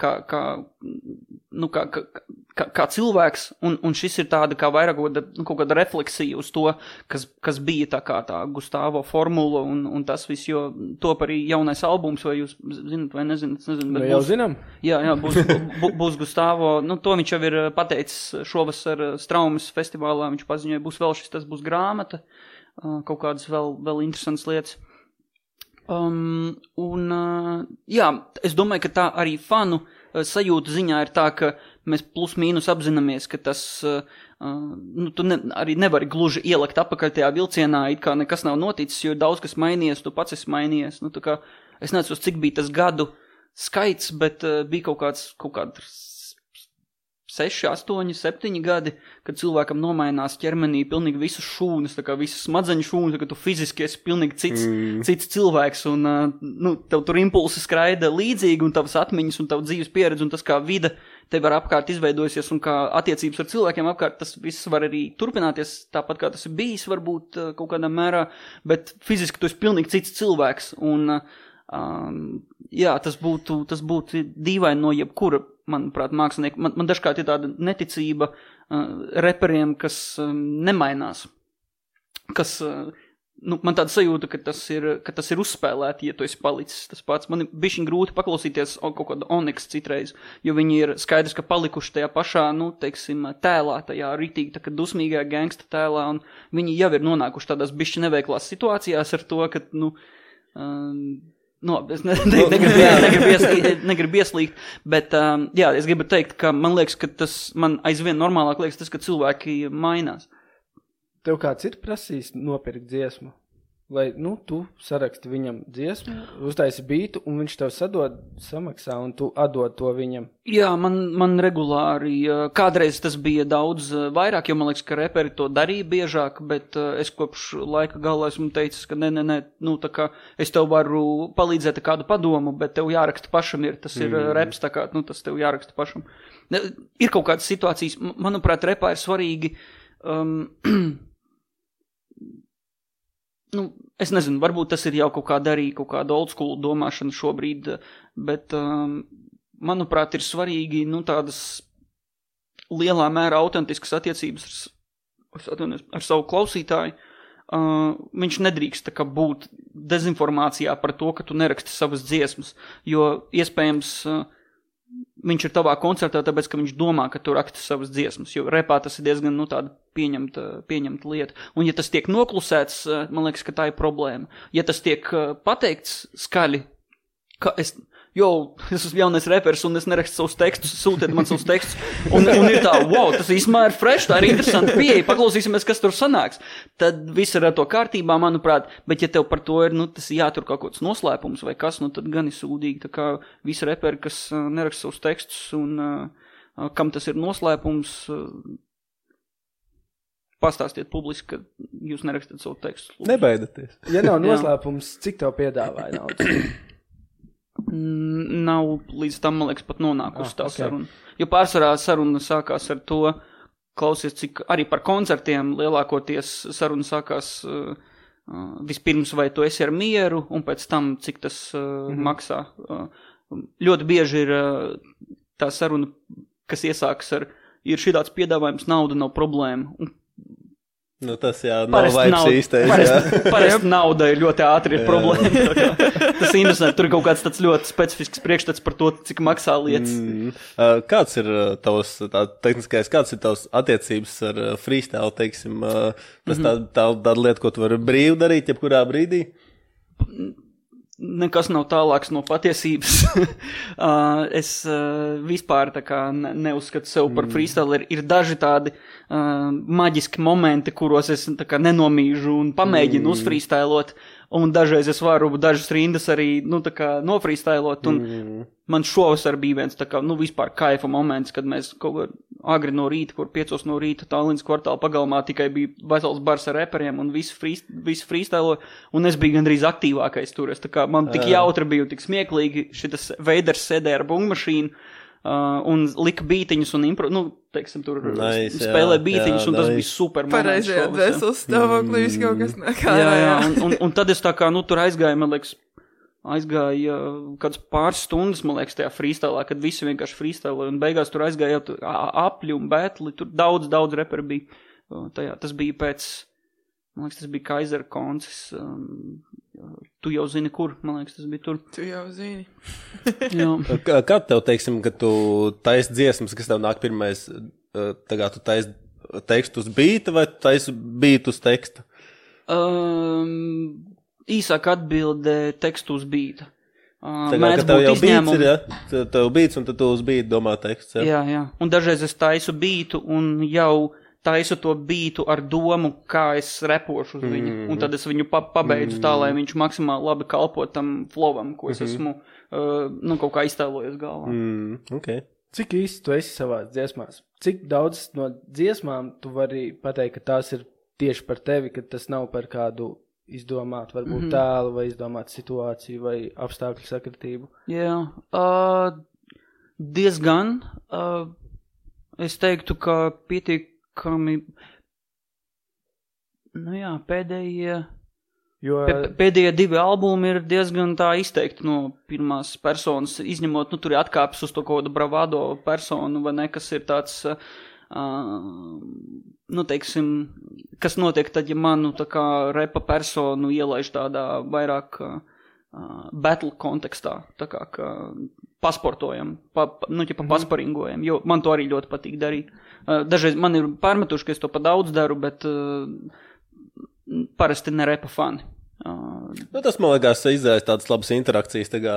cilvēks, un šis ir tāda kā vairāk kaut kāda refleksija uz to, kas bija tā kā tā Gustavo formula, un tas viss, jo top arī jaunais albums, vai jūs zinat vai nezinat? Vai jau zinām? Jā, būs Gustavo, to viņš jau ir pateicis šovasar Straumes festivālā, viņš paziņoja, būs vēl tas būs grāmata, kaut kādas vēl interesantas lietas. Es domāju, ka tā arī fanu sajūta ziņā ir tā, ka mēs plus mīnus apzināmies, ka tas, tu arī nevari gluži ielikt apakaļ tajā vilcienā, it kā nekas nav noticis, jo daudz kas mainījies, tu pats esi mainījies. Tā kā, es neatceros, cik bija tas gadu skaits, bet bija kaut kāds 6, 8, 7 gadi, kad cilvēkam nomainās ķermenī pilnīgi visas šūnas, tā kā visas smadzeņu šūnas, ka tu fiziski esi pilnīgi cits cilvēks, un tev tur impulsi skraida līdzīgi, un tavas atmiņas, un tava dzīves pieredze, un tas kā vida tev var apkārt izveidojusies, un kā attiecības ar cilvēkiem apkārt, tas viss var arī turpināties, tāpat kā tas ir bijis, varbūt kaut kādā mērā, bet fiziski tu esi pilnīgi cits cilvēks, un tas būtu dīvaini no jebkura, manuprāt, mākslinieki. Man dažkārt ir tāda neticība reperiem, kas nemainās. Kas, man tāda sajūta, ka tas ir uzspēlēti, ja tu esi palicis tas pats. Man ir bišķiņ grūti paklausīties kaut kāda Onyx citreiz, jo viņi ir skaidrs, ka palikuši tajā pašā, tēlā, tajā ritīgi, tā kā dusmīgajā gangsta tēlā, un viņi jau ir nonākuši tādās bišķi neveiklās situācijās ar to, ka, es negribu ieslīgt, bet, es gribu teikt, ka man liekas, ka tas man aizvien normālāk liekas tas, ka cilvēki mainās. Tev kāds ir prasījis nopirkt dziesmu? Vai, tu saraksti viņam dziesmu, uztaisi bītu, un viņš tev samaksā, un tu atdod to viņam? Jā, man regulāri, kādreiz tas bija daudz vairāk, jo man liekas, ka reperi to darīja biežāk, bet es kopš laika galā esmu teicis, ka tā kā es tev varu palīdzēt kādu padomu, bet tev jāraksta pašam tas ir reps, tā kā, tas tev jāraksta pašam. Ir kaut kādas situācijas, manuprāt, repā ir svarīgi, es nezinu, varbūt tas ir jau kaut kāda old school domāšana šobrīd, bet, manuprāt, ir svarīgi, tādas lielā mērā autentiskas attiecības ar savu klausītāju. Viņš nedrīkst būt dezinformācijā par to, ka tu neraksti savas dziesmas, jo iespējams viņš ir tavā koncertā, tāpēc, ka viņš domā, ka tu raksti savas dziesmas, jo repā tas ir diezgan, tāda pieņemta lieta. Un ja tas tiek noklusēts, man liekas, ka tā ir problēma. Ja tas tiek pateikts skaļi, ka es esmu jaunais reperis un es nerakstu savus tekstus, sūtiet man savus tekstus, un ir tā, wow, tas īstenībā ir fresh, tā ir interesanti pieeja, paklausīsimies, kas tur sanāks. Tad viss ir ar to kārtībā, manuprāt, bet ja tev par to ir, tas jātur kaut kāds noslēpums vai kas, tad gan ir sūdīgi, tā kā visi reperi, kas neraksta savus tekstus un kam tas ir noslēpums, pastāstiet publiski, ka jūs nerakstat savu tekstu. Nebaidaties. Ja nav noslēpums, cik tev piedāvāja naudas? Nav līdz tam, man liekas, pat nonākusi tā saruna. Jo pārsvarā saruna sākās ar to, klausies, cik arī par koncertiem lielākoties saruna sākās vispirms, vai tu esi ar mieru, un pēc tam, cik tas maksā. Ļoti bieži ir tā saruna, kas iesākas ar, ir šitāds piedāvājums, nauda nav problēma. Tas nav vaips īstais. Parasti nauda ir ļoti ātri ir problēma. Tas interesanti, tur ir kaut kāds tāds ļoti specifisks priekšstats par to, cik maksā lietas. Kāds ir tavs, tehniskais, kāds ir tavs attiecības ar freestyle, teiksim? Tas tāda lieta, ko tu vari brīvi darīt, jebkurā brīdī? Nekas nav tālāks no patiesības. Es vispār tā kā neuzskatu sev par freestyle. Ir daži tādi maģiski momenti, kuros es tā kā nenomīžu un pamēģinu uzfreestylot, un dažreiz es varu dažas rindas arī, tā kā nofreestylot, un man šovasar bija viens tā kā, vispār kaifa moments, kad mēs kaut kā agri no rīta, kur 5 no rīta Tallinas kvartāla pagalmā tikai bija vesels bars ar reperiem, un visi freestylo, un es biju gandrīz aktīvākais tur. Tā kā man tik jautri bija, tik smieklīgi, šitas Veiders sēdēja ar bungmašīnu, un lika bītiņus un teiksim, tur spēlē bītiņus, un tas bija super moments. Pareizajā dvēseles stāvoklī viss kaut kas nekā. Jā, un tad es tā kā, tur aizgāju, man liekas, kāds pāris stundas, man liekas, tajā freestylā, kad visi vienkārši freestyloja, un beigās tur aizgāja apļi un betli, tur daudz reperi bija. Tas bija pēc, man liekas, tas bija Kaiser koncis. Tu jau zini, kur, man liekas, tas bija tur. Tu jau zini. Kā tev, teiksim, kad tu taisi dziesmas, kas tev nāk pirmais, tagad tu taisi tekstu uz bīta vai tu taisi bītu uz teksta? Īsāk atbilde tekstu uz bīta. Tagad, ka tev jau bīts ir, ja? Tev bīts un tad tu uz bītu domā teksts, ja? Jā. Un dažreiz es taisu bītu un jau taisu to bītu ar domu, kā es repošu uz viņu. Un tad es viņu pabeidzu tā, lai viņš maksimāli labi kalpo tam flovam, ko es esmu kaut kā iztēlojies galvā. Okay. Cik īsti tu esi savās dziesmās? Cik daudz no dziesmām tu vari pateikt, ka tās ir tieši par tevi, ka tas nav par kādu izdomāt, varbūt tēlu vai izdomāt situāciju vai apstākļu sakritību? Jā, diezgan. Es teiktu, ka pietiekami, pēdējie 2 albumi ir diezgan tā izteikti no pirmās personas, izņemot, tur ir atkāpes uz to kaut kādu bravado personu, vai ne, kas ir tāds, teiksim, kas notiek tad, ja manu tā kā repa personu ielaiž tādā vairāk battle kontekstā, tā kā pasportojam, pasparingojam, jo man to arī ļoti patīk darīt. Dažreiz man ir pārmetuši, ka es to pa daudz daru, bet parasti ne repa fani. Tas, man liekas, izraisa tādas labas interakcijas, tā kā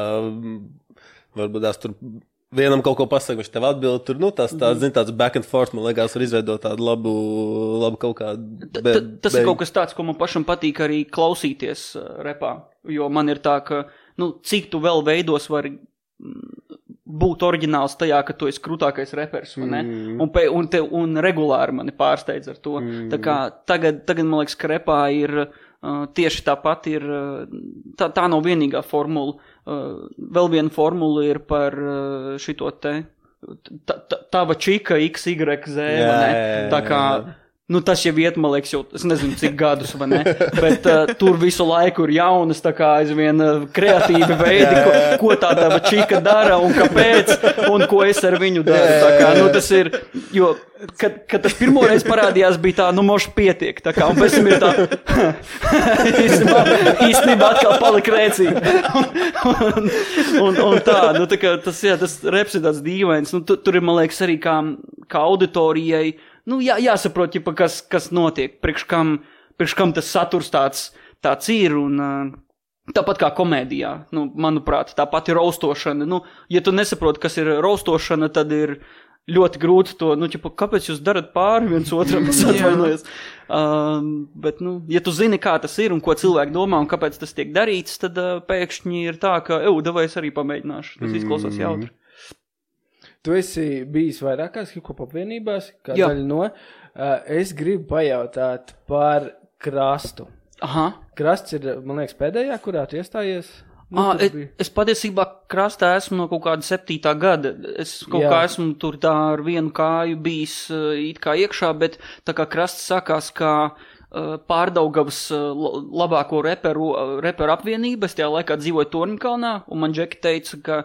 varbūt tās tur vienam kaut ko pasaka, viņš tev atbild, tur, tāds back and forth, man liekas, var izveidot tādu labu kaut kādu. Tas ir kaut kas tāds, ko man pašam patīk arī klausīties repā, jo man ir tā, ka, cik tu vēl veidos vari būt oriģināls tajā, ka tu esi krūtākais reperis, vai ne? Un regulāri mani pārsteidz ar to. Tā kā tagad, man liekas, ka repā ir tieši tāpat ir, tā nav vienīgā formula. Vēl viena formula ir par šito te, tava čika XYZ, vai ne? Tā kā, Nu, tas jau iet, man liekas, jau, es nezinu, cik gadus, vai ne, bet tur visu laiku ir jaunas, tā kā aizvien kreatīvi veidi, ko tā tava čika dara un kāpēc, un ko es ar viņu daru, tā kā, nu, tas ir, jo, kad tas pirmoreiz parādījās, bija tā, nu, moši pietiek, tā kā, un pēc tam ir tā, īstenībā atkal palika rēcīgi, un tā, nu, tā kā, tas reps ir tāds dīvains, nu, tur ir, man liekas, arī kā auditorijai, nu, jāsaprot, ķipa, kas notiek, priekš kam tas saturs tāds ir, un tāpat kā komēdijā, nu, manuprāt, tāpat ir raustošana, nu, ja tu nesaproti, kas ir raustošana, tad ir ļoti grūti to, nu, ķipa, kāpēc jūs darat pāri viens otram, es atvainojos, bet, nu, ja tu zini, kā tas ir un ko cilvēki domā un kāpēc tas tiek darīts, tad pēkšņi ir tā, ka, davai es arī pamēģināšu, tas izklausās jautri. Tu esi bijis vairākās hip-hop apvienībās, kā daļa no. Es gribu pajautāt par Krastu. Aha. Krasts ir, man liekas, pēdējā, kurā tu iestājies? Es patiesībā Krastā esmu no kaut kāda 7. gada. Es kaut kā esmu tur tā ar vienu kāju bijis it kā iekšā, bet tā kā Krasts sākās kā Pārdaugavas labāko reperu apvienība. Es tajā laikā dzīvoju Torņkalnā, un man Džeki teica, ka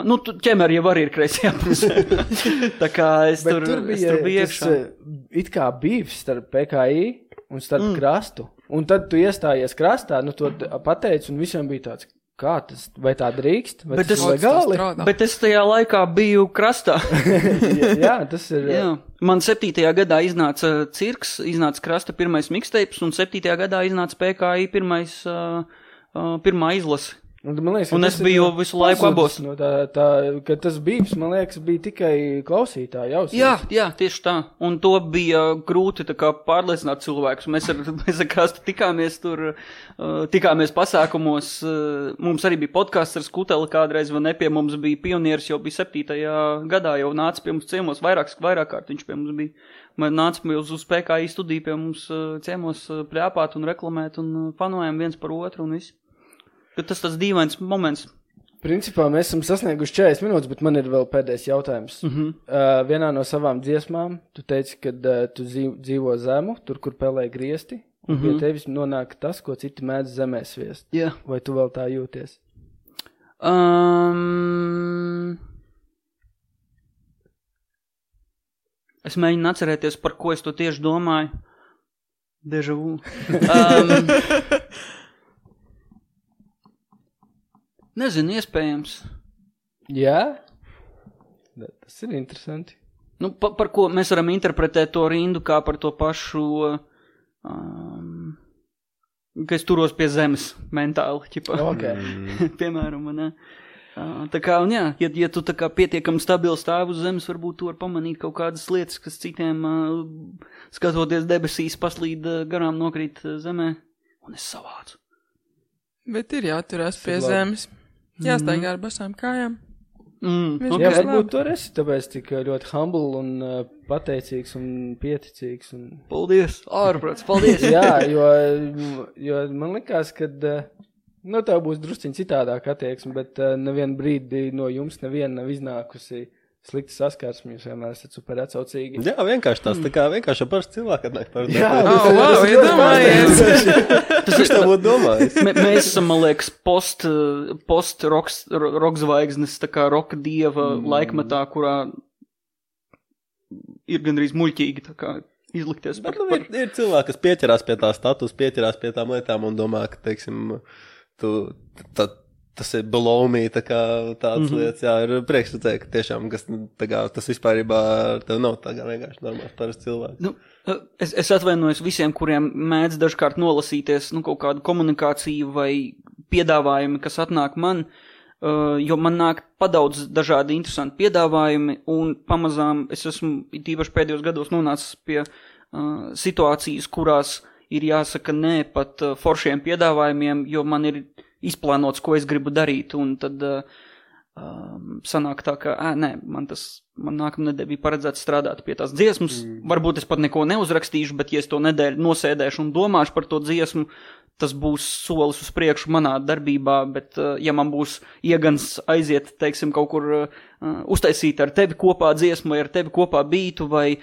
nu, ķemeri jau arī ir kreisajā pusē. Tā kā es tur biju iekšā. It kā bīvs starp PKI un starp Krastu. Un tad tu iestājies Krastā, nu to pateici, un visiem bija tāds, kā tas, vai tā drīkst, vai tas ir legāli? Bet es tajā laikā biju Krastā. jā, tas ir... Jā. Man 7. gadā iznāca Cirks, iznāca Krasta pirmais mixtapes, un 7. gadā iznāca PKI pirmā izlase. Man liekas, un es biju visu laiku abos. No ka tas bīvs, man liekas, bija tikai klausītāji ausīs. Jā, tieši tā. Un to bija grūti tā kā pārliecināt cilvēkus. Mēs ar Krastu tikāmies pasākumos. Mums arī bija podcasts ar Skuteli kādreiz, vai ne, pie mums bija pionieris, jau bija 7. gadā, jau nāca pie mums ciemos, vairāk kārt viņš pie mums bija. Man nāca uz PKI studiju pie mums ciemos pļāpāt un reklamēt un fanojam viens par otru un viss. Tas tas dīvains moments. Principā mēs esam sasnieguši 40 minūtes, bet man ir vēl pēdējais jautājums. Vienā no savām dziesmām tu teici, ka tu dzīvo zemu, tur, kur pelē griesti, un pie tevis nonāk tas, ko citi mēdz zemē sviest. Jā. Vai tu vēl tā jūties? Es mēģinu atcerēties, par ko es to tieši domāju. Deja vu. Nezinu, iespējams. Jā? Tas ir interesanti. Nu, par ko mēs varam interpretēt to rindu kā par to pašu, ka es turos pie zemes mentāli, ķipa. Okay. Piemēram, ne? Tā kā, un jā, ja tu tā kā pietiekami stabili stāv uz zemes, varbūt tu var pamanīt kaut kādas lietas, kas citiem, skatoties debesīs, paslīd garām nokrīt zemē, un es savācu. Bet ir jāturās pie zemes. Jāstaigā ar basām kājām. Okay. Jā, varbūt tu esi tāpēc tik ļoti humble un pateicīgs un pieticīgs. Un... Paldies, ārprāts, paldies. Jā, jo man likās, ka tev būs drusciņ citādāk attieksme, bet nevienu brīdi no jums neviena nav iznākusi slikti saskarsmi, jūs vienmēr esat super atsaucīgi. Jā, vienkārši tās, tā kā vienkārši parasti cilvēki atnāk par jā, iedomājies. Tas viņš tā būtu domājis. Mēs esam, man liekas, post-rock zvaigznes, tā kā roka dieva laikmetā, kurā ir gandrīz muļķīgi, tā kā izlikties par... Ir cilvēki, kas pieķerās pie tā status, pieķerās pie tām lietām un domā, ka, teiksim, tas ir below me, tā kā tādas lietas, jā, ir prieks redzēt, ka tiešām, kas, tā kā, tas vispārībā tev nav tā kā vienkārši normāls parasts cilvēks. Nu, es atvainojos visiem, kuriem mēdz dažkārt nolasīties, kaut kādu komunikāciju vai piedāvājumi, kas atnāk man, jo man nāk padaudz dažādi interesanti piedāvājumi, un pamazām es esmu tīpaši pēdējos gados nonācis pie situācijas, kurās ir jāsaka nē pat foršiem piedāvājumiem, jo man ir izplānots, ko es gribu darīt, un tad sanāk tā, ka, nē, man nākamnedēļ bija paredzēts strādāt pie tās dziesmas, varbūt es pat neko neuzrakstīšu, bet ja es to nedēļu nosēdēšu un domāšu par to dziesmu, tas būs solis uz priekšu manā darbībā, bet ja man būs iegans aiziet, teiksim, kaut kur uztaisīt ar tevi kopā dziesmu, vai ar tevi kopā bītu, vai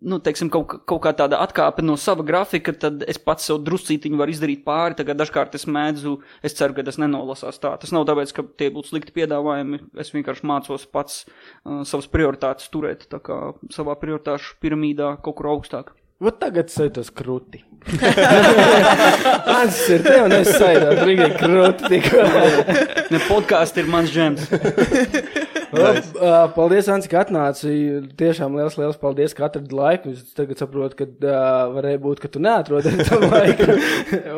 nu, teiksim, kaut kā tāda atkāpe no sava grafika, tad es pats sev druscītiņu varu izdarīt pāri, tagad dažkārt es ceru, ka tas nenolasās tā. Tas nav tāpēc, ka tie būtu slikti piedāvājumi, es vienkārši mācos pats savas prioritātes turēt, tā kā savā prioritāšu piramīdā kaut kur augstāk. Vat tagad saitos kruti. Mans ir tev, un es saitos brīdī kruti tikko. Ne, podkāsts ir mans džems. Paldies, Anci, ka atnāci. Tiešām liels paldies, ka atradi laiku. Es tagad saprotu, ka varēja būt, ka tu neatrodi tam laiku.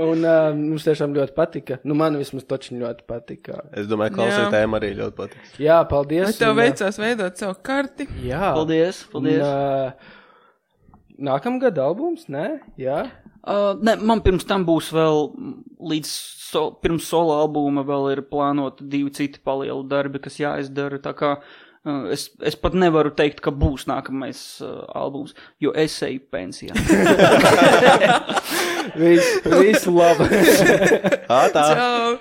Un mums tiešām ļoti patika. Nu, man vismaz točiņ ļoti patika. Es domāju, klausītājiem arī ļoti patika. Jā, paldies. Vai tev veicās veidot savu karti? Jā. Paldies. Nākamgad albums, ne? Jā. Ne, man pirms tam būs vēl pirms solo albuma vēl ir plānoti 2 citi palielu darbi, kas jāizdara, tā kā es pat nevaru teikt, ka būs nākamais albums, jo es eju pensijā. Visu labi. Tā. Čau!